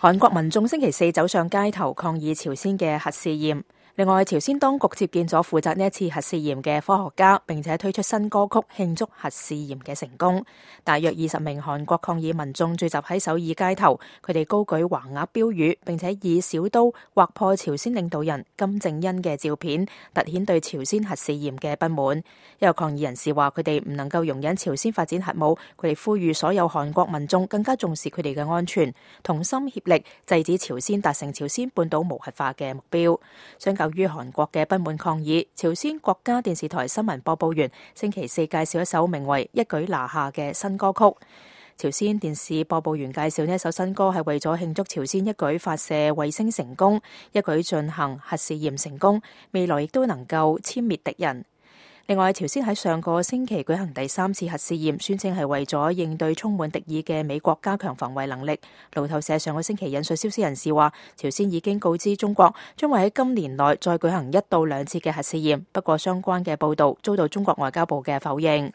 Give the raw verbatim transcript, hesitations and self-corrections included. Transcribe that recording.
韓國民眾星期四走上街頭抗議朝鮮嘅核試驗。另外，朝鮮當局接見咗負責呢一次核試驗嘅科學家，並且推出新歌曲慶祝核試驗嘅成功。大約二十名韓國抗議民眾聚集喺首爾街頭，佢哋高舉橫額標語，並且以小刀劃破朝鮮領導人金正恩嘅照片，凸顯對朝鮮核試驗嘅不滿。有抗議人士話佢哋唔能夠容忍朝鮮發展核武，佢哋呼籲所有韓國民眾更加重視佢哋嘅安全，同心協力制止朝鮮達成朝鮮半島無核化嘅目標。相較於韓國嘅不滿抗議，朝鮮國家電視台新聞播報員星期四介紹一首名為《一舉拿下》嘅新歌曲。朝鮮電視播報員介紹呢一首新歌係為咗慶祝朝鮮一舉發射衛星成功，一舉進行核試驗成功，未來亦都能夠殲滅敵人。另外，朝鮮喺上個星期舉行第三次核試驗，宣稱係為咗應對充滿敵意嘅美國加強防衛能力。路透社上個星期引述消息人士話，朝鮮已經告知中國將會喺今年內再舉行一到兩次嘅核試驗，不過相關嘅報導遭到中國外交部嘅否認。